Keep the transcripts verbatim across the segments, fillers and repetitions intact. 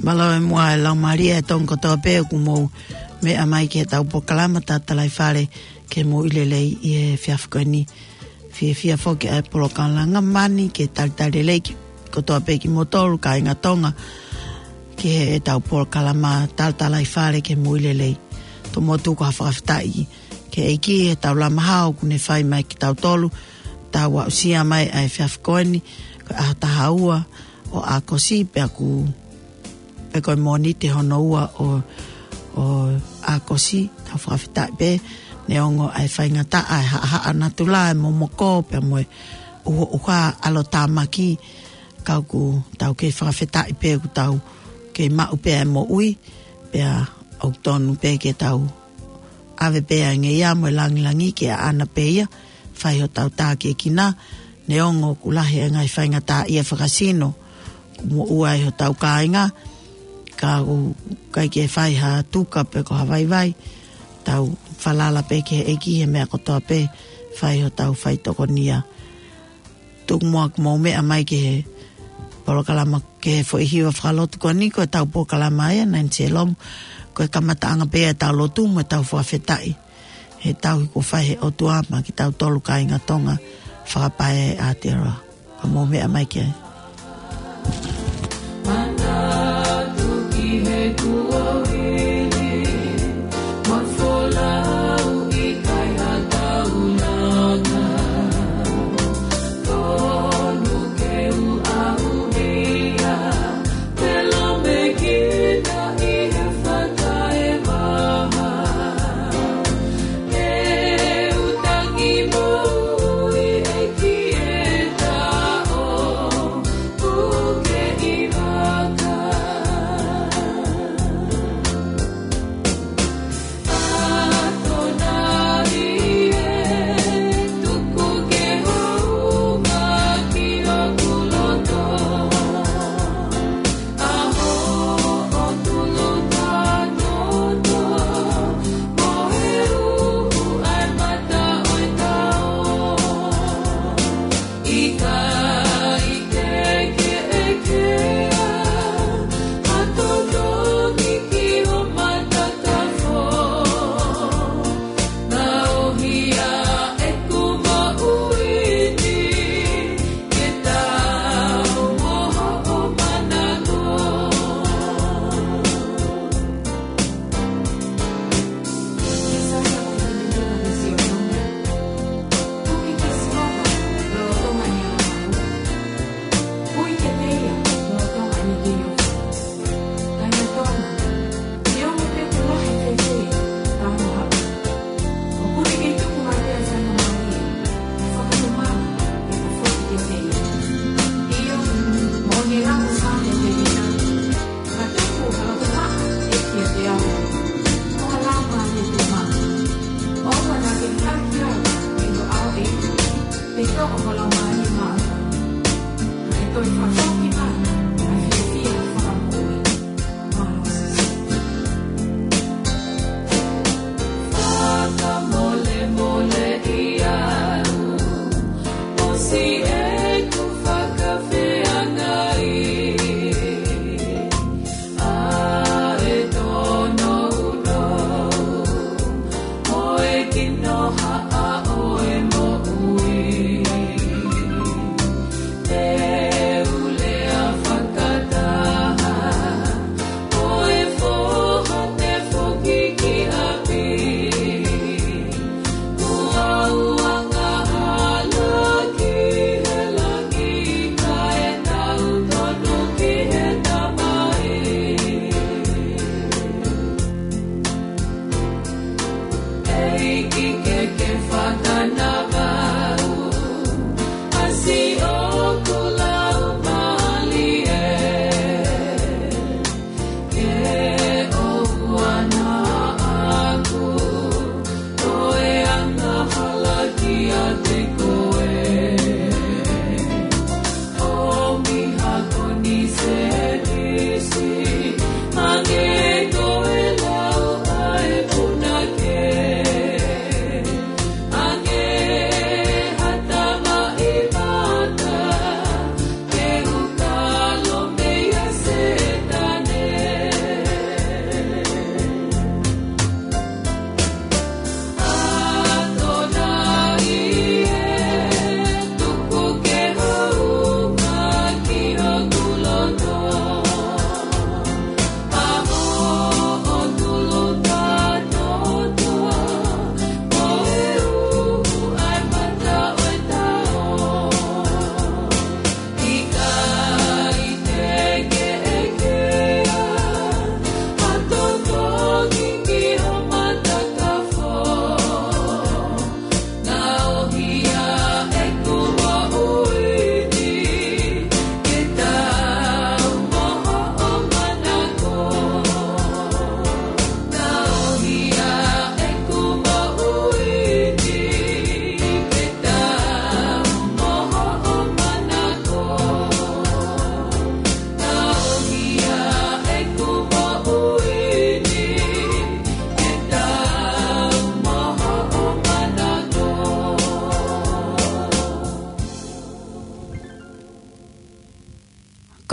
Mālō e muʻa e laumālie ʻa e Tonga kotoa pē ʻoku mou meʻa mai ki heʻetau polokalama Tatalaifale ke mou ʻi lelei ʻi he efiafi ko eni. Fiefia foki ʻa e polokalama mani ke talitali lelei ki, kotoa pē kimoutolu kāinga Tonga ki heʻetau polokalama Tatalaifale ke mou ʻi lelei. Tomuʻa tuku ha fakafetaʻi ki he ʻEiki heʻetau lama hao kuo ne fai mai kiate kitautolu, tau aʻusia mai ʻa e efiafi ko eni, ko e ʻaho taha ua ʻo ʻAokosi, pea ʻoku pē ko e Mōnite hono ua ʻo, ʻo ʻAokosi, tau fakafetaʻi pē, neongo ʻa e faingataʻa ʻa e haʻahaʻa natula, ʻa e momoko, pea mo e ʻuhoʻuha ʻalotāmaki, ka ʻoku tau kei fakafetaʻi pē ʻoku tau kei maʻu pē ʻa e moʻui, pea ʻoku tonu pē ke tau ʻave pē ʻa e ngeia mo e langilangi ki ʻaʻana pē ia, fai hotau tākiekina, neongo ʻoku lahi ʻa e ngaahi faingataʻaʻia fakasino, ʻoku moʻua ai hotau kāinga, ka ʻoku ʻikai ke fai ha tuka pe ko ha vaivai, tau falala pē ki he ʻEiki he meʻa kotoa pē, fai hotau faitokonia. Tuku muʻa ke mou meʻa mai ki he polokalama, ki he foʻi hiva fakalotu ko eni, ko ʻetau polokalama ia, Naini Selomu, ko e kamataʻanga pē ʻetau lotu mo ʻetau fakafetaʻi he tauhi kuo fai ʻe he ʻOtua maʻa kitautolu kāinga Tonga, fakapae ʻa Aotearoa. Ka mou meʻa mai ki ai.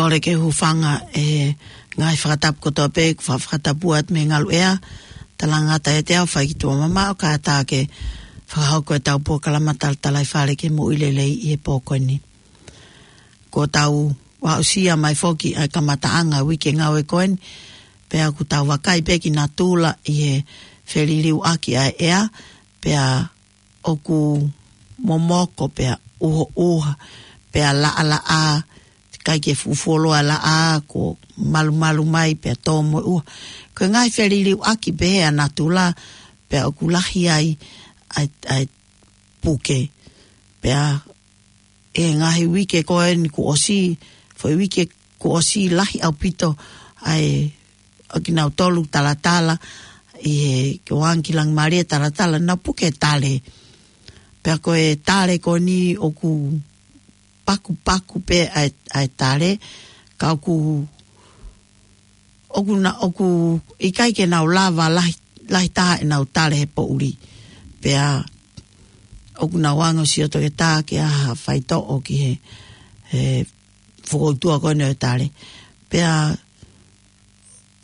ʻOku ke hūfanga he ngaahi fakatapu kotoa pē, kuo fa-, fakatapu atu mei he ngaluʻea, talangata ʻiate au, fai ki tuʻa mamaʻo, kātaki fakahoko ʻetau polokalama talatalaifale ki he moʻui lelei ʻi he pō ko eni. Kuo tau aʻusia mai foki ʻa e kamataʻanga uike ngāue ko eni, pea ʻoku tau vakai pē ki natula ʻi he feliliuaki ʻa e ʻea, pea ʻoku momoko pea ʻuhoʻuha, pea laʻalaʻā, ʻikai ke fuʻu fuoloa laʻā, kuo malumalu mai pea tō mo e ʻuha. Ko e ngaahi feliliuaki pē ʻa natula, pea ʻoku lahi ai ʻa e, ʻa e puke. Pea ʻi he ngaahi uike ko eni kuo ʻosi, foʻi uike kuo ʻosi, lahi ʻaupito ʻa e, ʻa kinautolu talatala ʻi he, ko Angi Langimālie talatala, naʻa nau puke tale. Pea ko e tale ko eni ʻoku pakupaku pē ʻa e, ʻa e tale, ka ʻoku, ʻoku na-, ʻoku ʻikai ke nau lava lahi, lahi taha ʻenau tale he poʻuli. Pea ʻoku nau anga ʻo sio toketā ke ʻai ha faitoʻo ki he, he fokoutua ko eni ʻo e tale. Pea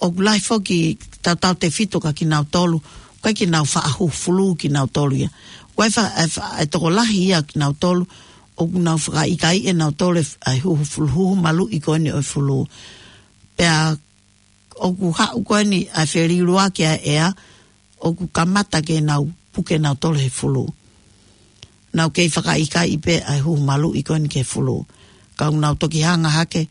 ʻoku lahi foki, tautautefito kia kinautolu, ʻoku ʻikai ke nau faʻa huhu fulū kinautolu ia. ʻOku ʻi ai fa-, ʻa e fa-, ʻa e tokolahi ia kinautolu, ʻoku nau fakaʻikaiʻi ʻe nautolu ʻa e huhu fulū, huhu maluʻi ko eni ʻo e fulū. Pea ʻoku haʻu ko eni ʻa e feliliuaki ʻa e ʻea, ʻoku kamata ke nau puke nautolu he fulū. Nau kei fakaʻikaiʻi pē ʻa e huhu maluʻi ko eni ki he fulū. Ka ʻoku nau toki hanga hake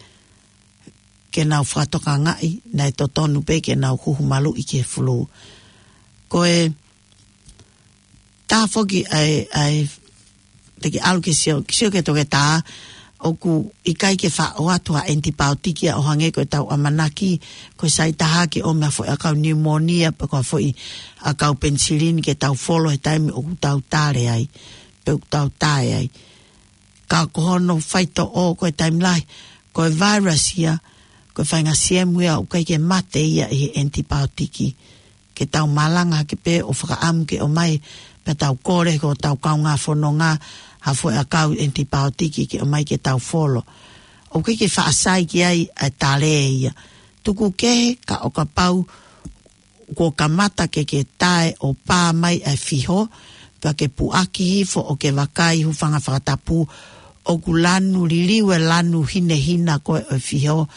ke nau fakatokangaʻi naʻe totonu pē ke nau huhu maluʻi ki he fulū. Ko e tā foki ʻa e, ʻa e, te ke ʻalu ke sio, ke sio ki he toketā, ʻoku ʻikai ke faʻa ʻoatu ha ʻenipaotiki ia ʻo hangē ko ʻetau ʻamanaki, ko e sai taha ke ʻomai ha foʻi ʻakau niumōnia, pe ko ha foʻi ʻakau penisilini ke tau folo he taimi ʻoku tau tale ai, pe ʻoku tau tae ai. Ka ko hono faitoʻo ko e taimi lahi, ko e virus ia, ko e faʻahinga siemu ia ʻoku ʻikai ke mate ia ʻi he ʻenipaotiki. Ke tau malanga hake pē ʻo fakaʻamu ke ʻomai, pea tau kole ki hotau kaungā fononga ha foʻi ʻakau ʻenipaotiki ke ʻomai ke tau folo. ʻOku ʻikai ke faʻa sai ki ai ʻa e tale ia. Tuku kehe ka ʻo kapau kuo kamata ke ke tae ʻo pā mai ʻa e fiho, pea ke puʻaki hifo ʻo ke vakai, hūfanga he fakatapu, ʻoku lanu, liliu e lanu hinehina ko ē ʻo e fiho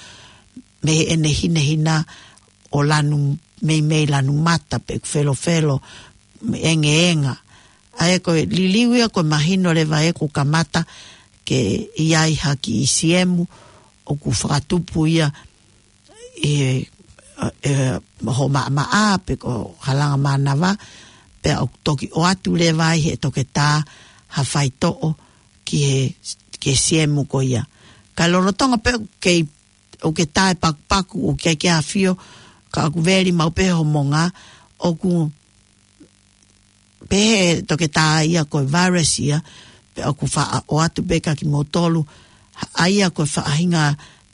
mei heʻene hinehina ʻo lanu meimei lanu mata pe ʻoku felofelo, mo e engeenga. ʻA ia ko e liliu ia ko e mahino leva ē kuo kamata ke ʻi ai ha kiʻi siemu ʻoku fakatupu ia ʻi he, ʻe, hoʻo maʻamaʻa pe ko e halanga mānava, pea ʻoku toki ʻoatu leva ai ʻe he toketā ha faitoʻo ki he, ki he siemu ko ia. Ka lolotonga pē ʻoku kei, ʻoku ke tae pakupaku, ʻoku ʻikai ke ʻafio, ka ʻoku veli maʻu pē hoʻo monga, ʻoku pehē ʻe he toketā ia ko e virus ia, pea ʻoku faʻa ʻoatu pē kia kimoutolu, ʻa ia ko e faʻahinga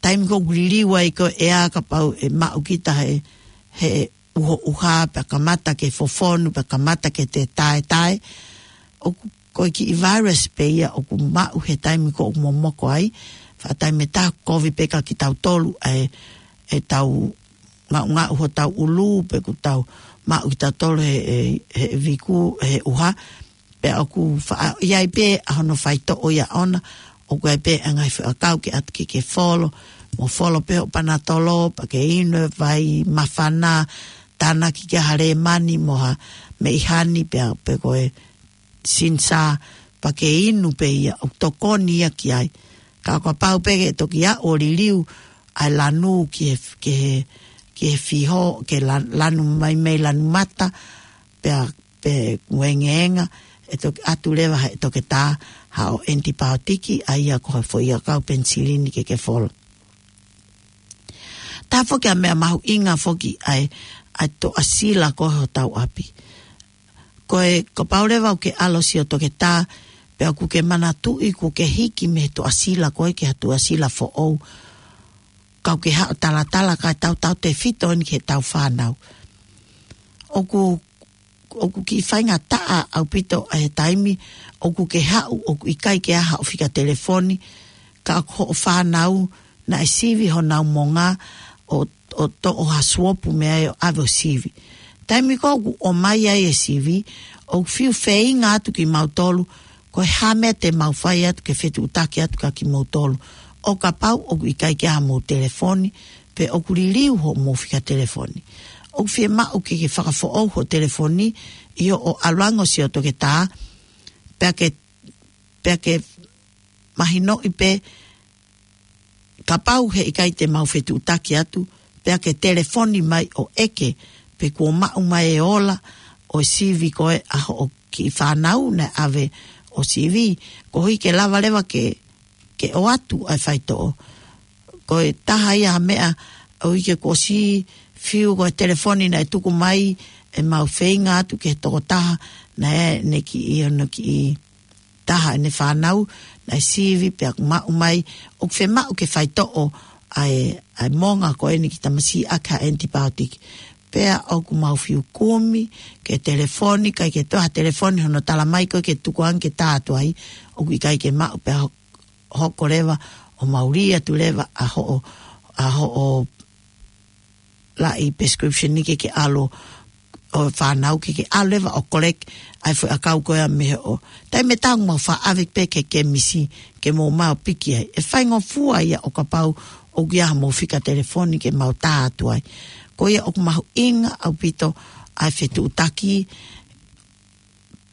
taimi ko ē ʻoku liliu ai ko ē ʻa e ʻea, kapau ʻe maʻu kita he, he ʻuhoʻuha, pea kamata ke fofonu, pea kamata ke te taetae. ʻOku, ko e kiʻi virus pē ia ʻoku maʻu he taimi ko ē ʻoku momoko ai, faʻa taimi ʻe taha kovi pē kia kitautolu, ʻa e, ʻetau ngaʻungaʻu hotau ʻulu, pe ʻoku tau maʻu kitautolu he, he, he viku, he ʻuha, pea ʻoku faʻa, ʻi ai pē ʻa hono faitoʻo ia ʻona, ʻoku ʻi ai pē ʻa e ngaahi foʻi ʻakau ke ʻatu ke ke folo, mo folo pē hoʻo panatolo, pea ke inu e vai māfana, tānaki ki ha lēmani, mo ha meʻi hani, pea, pe ko e sinsā, pea ke inu pē ia, ʻoku tokoni ia ki ai. Ka kapau pē ke toki aʻu ʻo liliu ʻa e lanu ki he, ki he, ki he fiho, ke la-, lanu meimei lanu mata, pea, pe ʻoku engeenga, ʻe toki ʻatu leva ʻe he toketā haʻo ʻenipaotiki, ʻa ia ko ha foʻi ʻakau penisilini ke ke folo. Tā foki ʻa e meʻa mahuʻinga foki ʻa e, ʻa e toʻasila ko ē hotau ʻapi. Ko e, kapau leva ʻoku ke ʻalu ʻo sio ki he toketā, pea ʻoku ke manatuʻi kuo ke hiki mei he toʻasila ko ē ki ha toʻasila foʻou, ka ʻoku ke haʻu ʻo talatala kae tautautefito eni ki heʻetau fānau. ʻOku, ʻoku kiʻi faingataʻa ʻaupito ʻa e taimi ʻoku ke haʻu, ʻoku ʻikai ke ʻi ai haʻo fika telefoni, ka ʻoku hoʻo fānau naʻe sivi honau monga ʻo, ʻo toʻo ha suopu mei ai ʻo ʻave ʻo sivi. Taimi ko ē ʻoku ʻomai ai e sivi, ʻoku fiu feinga atu kimautolu, ko e hā e meʻa te mau fai atu ke fetuʻutaki atu kia kimoutolu. ʻO kapau ʻoku ʻikai ke ʻi ai hamou telefoni, pe ʻoku liliu hoʻomou fika telefoni, ʻoku fiemaʻu ke ke fakafoʻou ho telefoni ʻi hoʻo ʻalu ange ʻo sio toketā, pea ke, pea ke mahinoʻi pē kapau he ʻikai te mau fetuʻutaki atu, pea ke telefoni mai ʻo ʻeke pe kuo maʻu mai e ola ʻo e sivi ko ē ʻa hoʻo kiʻi fānau naʻe ʻave ʻo sivi, koeʻuhi ke lava leva ke, ke ʻoatu ʻa e faitoʻo. Ko e taha ia ha meʻa ʻoku ʻikai ke u ʻosi fiu ko e telefoni naʻe tuku mai ʻemau feinga atu ki he tokotaha naʻe, ne kiʻi, ʻi hono kiʻi taha ʻene fānau naʻe sivi pea kuo maʻu mai, ʻoku fiemaʻu ke faitoʻo ʻa e, ʻa e monga ko eni ki tamasiʻi ʻaki ha antibiotic. Pea ʻoku mau fiu kumi ke telefoni, ʻikai ke toe ha telefoni hono tala mai ko ē ke tuku ange ke tā atu ai, ʻoku ʻikai ke maʻu pea ho-, hoko leva ʻo mau lī atu leva ʻa hoʻo, ʻa hoʻo laʻi prescription ni ke ke ʻalu ʻo fānau ke ke ʻalu leva ʻo collect ʻa e foʻi ʻakau ko ia mei hoʻo. Taimi ʻe taha ʻoku mau faʻa ʻave pē ki he kemisi ke mou ō mai ʻo piki ai. ʻE faingofua ia ʻo kapau ʻoku ʻi ai hamou fika telefoni ke mau tā atu ai. Ko ia ʻoku mahuʻinga ʻaupito ʻa e fetuʻutaki,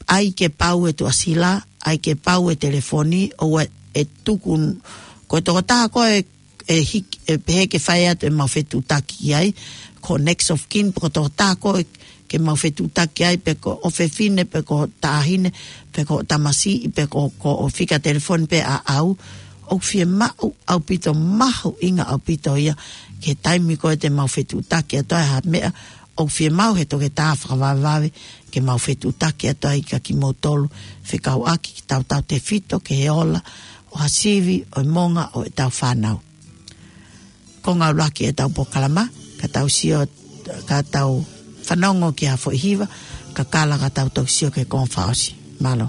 ʻai ke pau e tuʻasila, ʻai ke pau e telefoni, ʻoua ʻe tuku, ko e tokotaha ko ē ʻe hik-, ʻe pehē ke fai atu ʻemau fetuʻutaki ai, ko e next of kin, pe ko e tokotaha ko ē ke mau fetuʻutaki ai, pe ko e ʻofefine, pe ko e taʻahine, pe ko e tamasiʻi, pe ko, ko hoʻo fika telefoni pē ʻaʻau, ʻoku fiemaʻu ʻaupito mahuʻinga ʻaupito ia, ki he taimi ko ē te mau fetuʻutaki atu ai ha meʻa, ʻoku fiemaʻu he toketā fakavavevave ke mau fetuʻutaki atu ai kia kimoutolu, fekauʻaki ki tautautefito ki he ola ʻo ha sivi ʻo e monga ʻo ʻetau fānau. Ko e ngāue ʻuluaki ʻetau polokalama, ka tau sio, ka tau fanongo ki ha foʻi hiva, kakala ka tau toki sio ki he konga fakaʻosi. Mālō.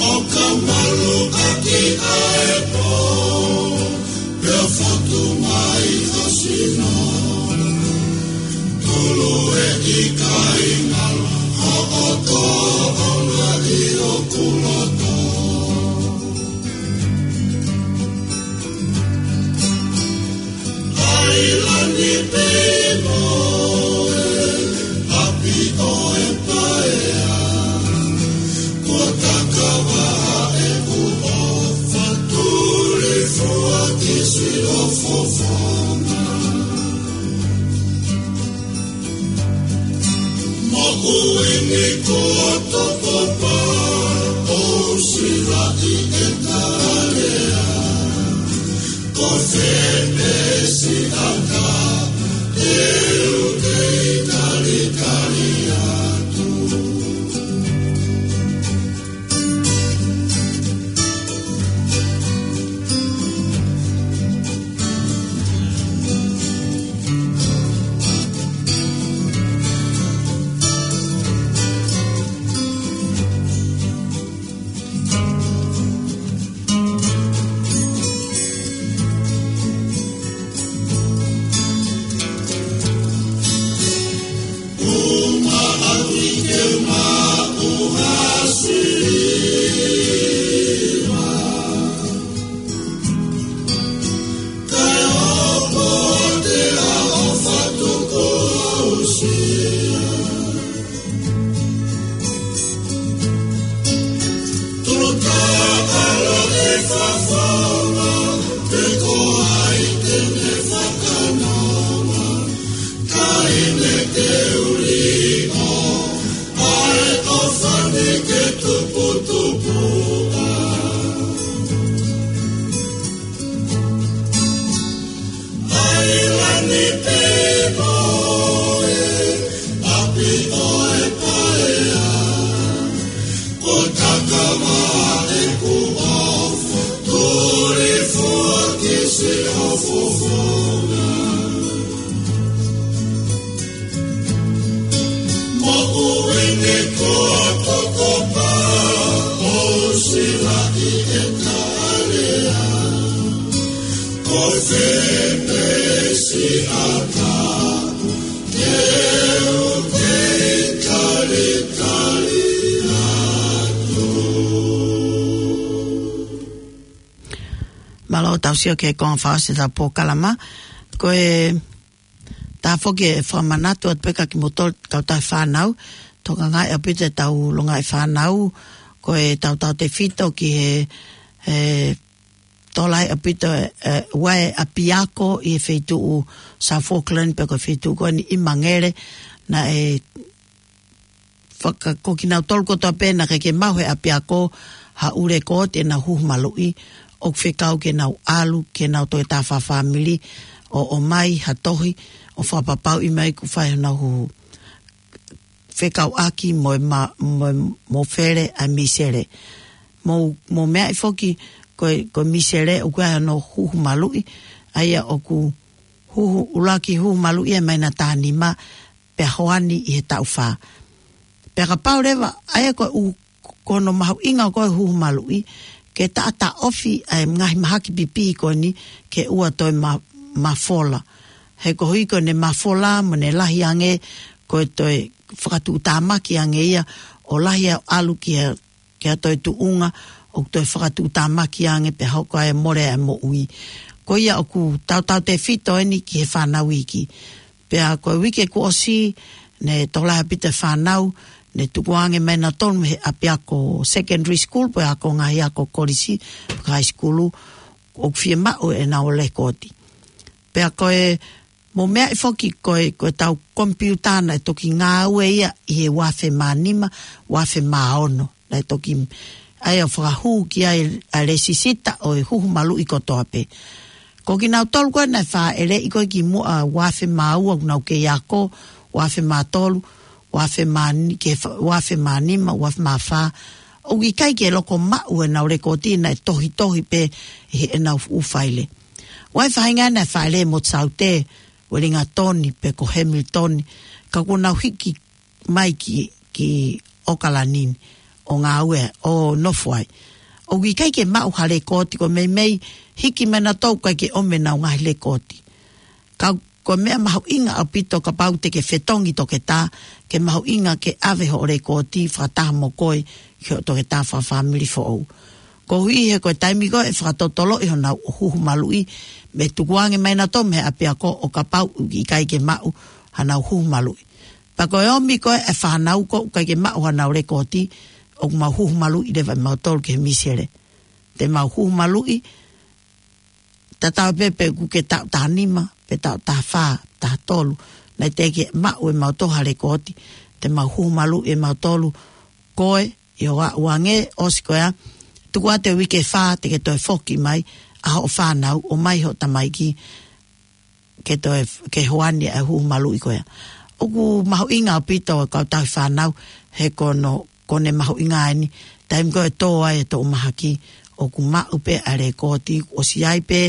ʻO ka malu ʻaki ʻa e pō, pea fotu mai ʻa sino. Tulu e ʻikai ngalo, hoʻo tōʻonga ʻi hoku loto. ʻAilani pē mo e ʻapi ʻo e paea, kuo takava ʻeku ʻofa, tulifua ki siʻo fofonga. Moʻui ni kuo tokopā, ʻo silaʻi e kalea. Ko fē pē siʻa ka te u kei talitali atu. Fafanga, pe ko hai te ne fakanonga, ka ʻi he teu liʻo, ʻa e ʻofa ni ke tuputupuʻa. ʻAilani pē mo e ʻapi ʻo e paea. Ko takama ʻeku ʻofa, tuli fua ki siʻo fofonga. Moʻui ni ko e tokopā, ʻo sila ʻi he tau lea. Ko fē pē siʻa tapu, te u kei talitali atu. Mālō tau sio ki he konga fakaʻosi ʻetau polokalama. Ko e tā foki e fakamanatu atu pē kia kimoutolu kautaha fānau, tokangaʻi ʻaupito ʻetau longaʻi fānau, ko e tautautefito ki he, he tokolahi ʻaupito e, e, ʻa e ʻapiako ʻi he feituʻu South Auckland pe ko e feituʻu ko eni ʻImangele, naʻe faka-, ko kinautolu kotoa pē naʻe ʻikai ke maʻu he ʻapiako ha ʻū lekooti ʻenau huhu maluʻi, ʻoku fekau ke nau ʻalu, ke nau toe tā fakafāmili, ʻo, ʻomai ha tohi, ʻo fakapapauʻi mai kuo fai honau huhu. Fekauʻaki mo e ma-, mo e mofele ʻa Misele. Mou, mou meaʻi foki ko e, ko Misele ʻoku ʻi ai hono huhu maluʻi, ʻa ia ʻoku huhu, ʻuluaki huhu maluʻi ʻi he māhina taha nima, pea hoani ʻi he taʻu fā. Pea kapau leva, ʻa ia ko e ʻū, ko hono mahuʻinga ko e huhu maluʻi, ke taʻataʻofi ʻa e ngaahi mahaki pipihi ko eni ke ʻoua toe ma-, mafola. He koeʻuhi ko ʻene mafola mo ʻene lahi ange, ko e toe fakatuʻutāmaki ange ia, ʻo lahi ʻo ʻalu ki he, ki ha toe tuʻunga, ʻoku toe fakatuʻutāmaki ange pea hoko ai e mole ʻa e moʻui. Ko ia ʻoku tautautefito eni ki he fānau iiki. Pea ko e uike kuo ʻosi, naʻe tokolahi ʻaupito e fānau, naʻe tukuange mai nautolu mei he ʻapiako secondary school, pe ko e ako ngaahi ako kolisi, pe ko e high school, ʻoku fiemaʻu ʻenau lekooti. Pea ko e, mou meaʻi foki ko e, ko ʻetau komipiuta naʻe toki ngāue ia ʻi he ua afe mā nima, ua afe mā ono. Naʻe toki, ʻa ia ʻo fakahū ki ai ʻa e lēsisita ʻo e huhu maluʻi kotoa pē. Ko kinautolu ko ē naʻe fāʻeleʻi ko ē kimuʻa ua afe mā ua ʻoku nau kei ako, ua afe mā tolu, ua afe mā ni-, ke fa-, ua afe mā nima, ua afe mā fā. ʻOku ʻikai ke loko maʻu ʻenau lekooti naʻe tohitohi pē ʻi heʻenau fuʻu faile. ʻOku ʻi ai e faʻahinga naʻe fāʻeleʻi ʻe Motu Saute, Uelingatoni, pe ko Hamilton, ka kuo nau hiki mai ki, ki ʻOkalani ni, ʻo ngāue, ʻo nofo ai. ʻOku ʻikai ke maʻu ha lekooti, ko e meimei hiki mai nautolu ʻikai ke ʻomi ʻenau ngaahi lekooti. Ka ko e meʻa mahuʻinga ʻaupito kapau te ke fetongi toketā, ke mahuʻinga ke ʻave hoʻo lekooti fakataha mo koe ki hoʻo toketā fakafāmili foʻou. Koeʻuhi he ko e taimi ko ē ʻe fakatotoloʻi honau huhu maluʻi, mo e tukuange mai nautolu mei he ʻapiako ʻo kapau ʻoku ʻikai ke maʻu haʻanau huhu maluʻi. Pea ko e ʻomi ko ē e fānau ko ē ʻoku ʻikai ke maʻu haʻanau lekooti, ʻoku mau huhu maluʻi leva ʻe mautolu ki he misele. Te mau huhu maluʻi, tatau pē pe ʻoku ke taʻu taha nima, pe taʻu taha fā, taha tolu. Naʻe teʻeki maʻu ʻe mautolu ha lekooti, te mau huhu maluʻi ʻe mautolu koe, ʻi hoʻo aʻu ange, ʻosi ko ia, tuku atu e uike ʻe fā, te ke toe foki mai, ʻa hoʻo fānau, ʻomai hoʻo tamaiki, ke toe, ke hoani e huhu maluʻi ko ia. ʻOku mahuʻinga ʻaupito e kau tauhi fānau, he ko hono, ko ʻene mahuʻinga eni, taimi ko ē ʻe tō ai e toʻu mahaki, ʻoku maʻu pē ʻa e lekooti, ʻosi ʻi ai pē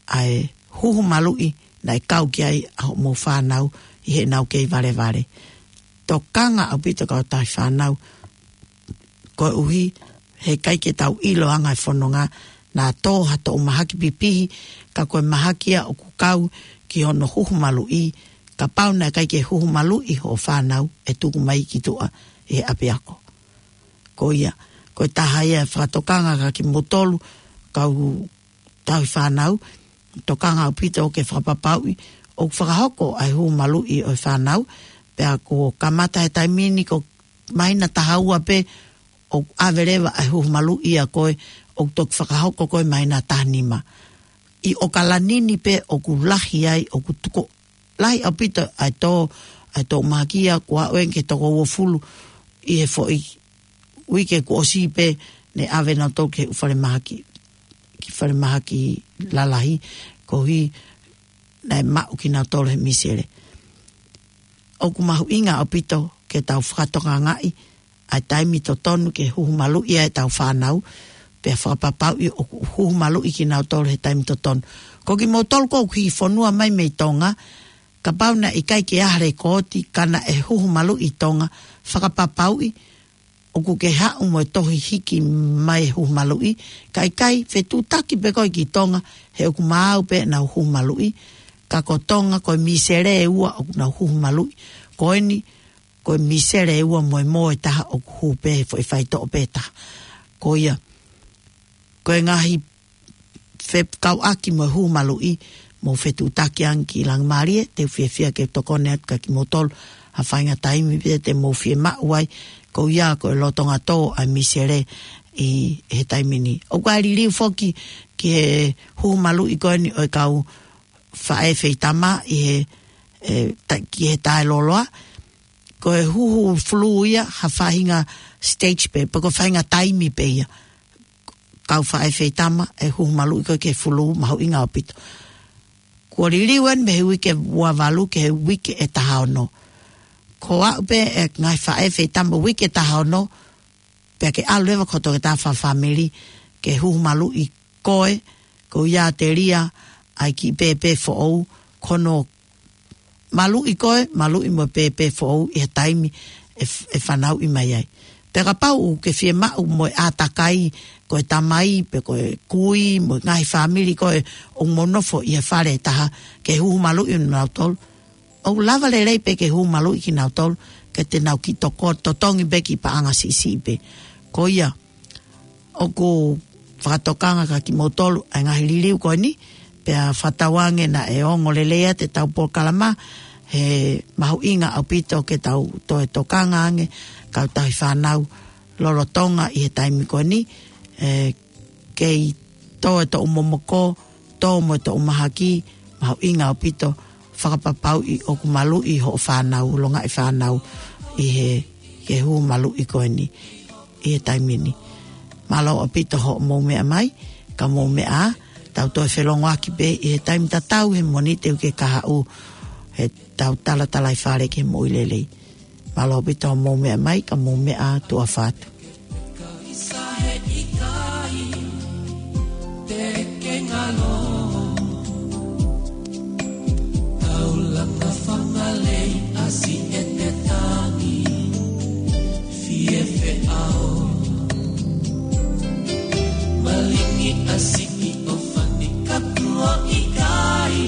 ʻa e huhu maluʻi, naʻe kau ki ai ʻa hoʻomou fānau, ʻi heʻenau kei valevale. Tokanga ʻaupito kau tauhi fānau, koeʻuhi, he ʻikai ke tau ʻilo ʻa e anga e fononga, naʻa tō ha toʻu mahaki pipihi, ka ko e mahaki ia ʻoku kau ki hono huhu maluʻi, kapau naʻe ʻikai ke huhu maluʻi hoʻo fānau ʻe tuku mai ki tuʻa ʻi he ʻapiako. Ko ia, ko e taha ia e fakatokanga kia kimoutolu, kau tauhi fānau, tokanga ʻaupito ke fakapapauʻi, ʻoku fakahoko ʻa e huhu maluʻi ʻo e fānau, pea kuo kamata he taimi ni ko e māhina taha ua pē, ʻoku ʻave leva ʻa e huhu maluʻi ʻa koe, ʻoku toki fakahoko ko ē mai ʻa e taha nima. ʻI ʻAokalani ni pē ʻoku lahi ai, ʻoku tuku lahi ʻaupito ʻa e tō, ʻa e tō mahaki ia, kuo aʻu eni ki he toko uofulu ʻi he foʻi uike kuo ʻosi pē, ne ʻave nautolu ki he ʻū falemahaki, ki he falemahaki lalahi, koeʻuhi naʻe maʻu kinautolu he misele. ʻOku mahuʻinga ʻaupito ke tau fakatokangaʻi ʻa e taimi totonu ke huhu maluʻi ai ʻetau fānau, pea fakapapauʻi ʻoku huhu maluʻi kinautolu he taimi totonu. Ko kimoutolu ʻoku hiki fonua mai mei Tonga, kapau naʻe ʻikai ke ʻi ai ha lekooti ka naʻe huhu maluʻi ʻi Tonga, fakapapauʻi ʻoku ke haʻu mo e tohi hiki mai e huhu maluʻi. Ka ʻikai, fetuʻutaki pē koe ki Tonga, he ʻoku maau pē ʻenau huhu maluʻi. Ka ko Tonga, ko e misele ʻe ua ʻoku nau huhu maluʻi. Ko eni, ko e misele ʻe ua mo e mō ʻe taha ʻoku hū pē he foʻi faitoʻo pē ʻe taha. Ko ia, ko e ngaahi fekauʻaki mo e huhu maluʻi, mou fetuʻutaki ange ki Langimalie, te u fiefia ke tokoni atu kia kimoutolu ha faʻahinga taimi pē te mou fiemaʻu ai, ko ia ko e lolotonga tō ʻa e misele ʻi he taimi ni. ʻOku ʻi ai e liliu foki ki he huhu maluʻi ko eni ʻo e kau faʻē feitama ʻi he, e, ta-, ki he taʻeloloa, ko e huhu fulū ia ha faʻahinga stage pē, pe ko e faʻahinga taimi pē ia. Kau faʻē feitama ʻe huhu maluʻi ko ē ki he fulū, mahuʻinga ʻaupito. Kuo liliu eni mei he uike ua valu ki he uike ʻe taha ono. Ko e aʻu pē e ngaahi faʻē feitama uike ʻe taha ono, pea ke ʻalu leva ki hoʻo toketā fakafāmili ke huhu maluʻi koe, ko ia te lia ai ki pēpē foʻou, ko hono maluʻi koe, maluʻi mo e pēpē foʻou ʻi he taimi ʻe f-, ʻe fanauʻi mai ai. Pea kapau ʻoku ke fiemaʻu mo e ʻātakai, ko e tamai, pe ko e kui, mo e ngaahi fāmili ko ē ʻoku mou nofo ʻi he fale ʻe taha, ke huhu maluʻi nautolu, ʻoku lava lelei pē ke huhu maluʻi kinautolu, ke te nau kiʻi toko-, totongi pē kiʻi paʻanga siʻisiʻi pē. Ko ia, ʻoku fakatokanga kia kimoutolu ʻa e ngaahi liliu ko eni, pea fakatauange naʻe ongo lelei ʻetau polokalama, he mahuʻinga ʻaupito ke tau toe tokanga ange, kau tauhi fānau lolotonga ʻi he taimi ko eni, ʻe kei tō e toʻu momoko, tō mo e toʻu mahaki, mahuʻinga ʻaupito, fakapapauʻi ʻoku maluʻi hoʻo fānau, longaʻi fānau ʻi he, he huhu maluʻi ko eni ʻi he taimi ni. Mālō ʻaupito hoʻomou meʻa mai, ka mou meʻa ā, tau toe felongoaki pē ʻi he taimi tatau he Mōnite ʻoku ke kahaʻu, heʻetau talatalaifale ki he moʻui lelei. Mālō ʻaupito hoʻomou meʻa mai, ka mou meʻa ā, tuʻa ʻofa atu. Taulanga fangalei ʻasi ʻete tangi, fie feʻao. Malingi ʻasi ʻi ʻofani ka tuʻo ʻikai,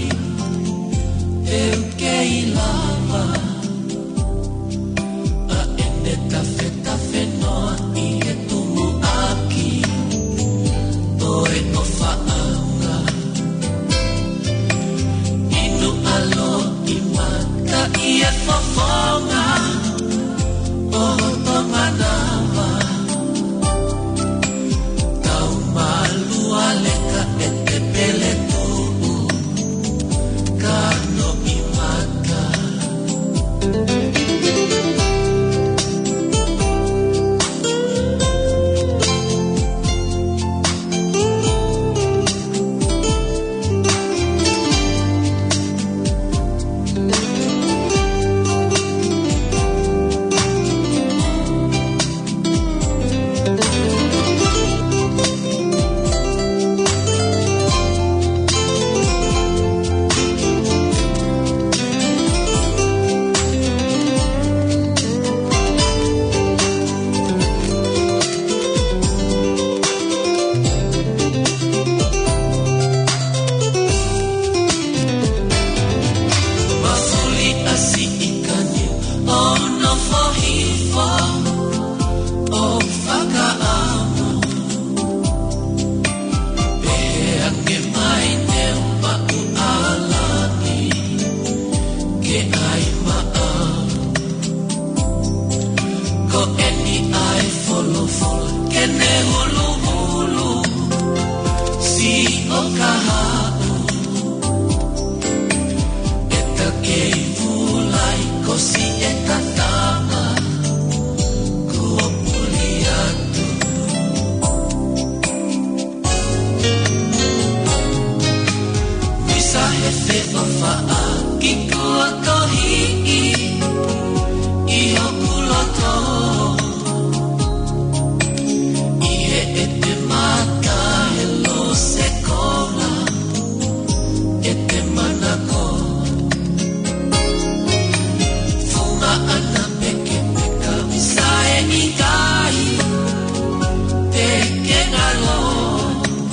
te u kei lava. ʻA ʻene tafetafe noa ʻi he tumuʻaki ʻo e ʻofaʻanga. Inu ʻa loʻimata ʻi he fofonga ʻo hoto manava. Tau malu ale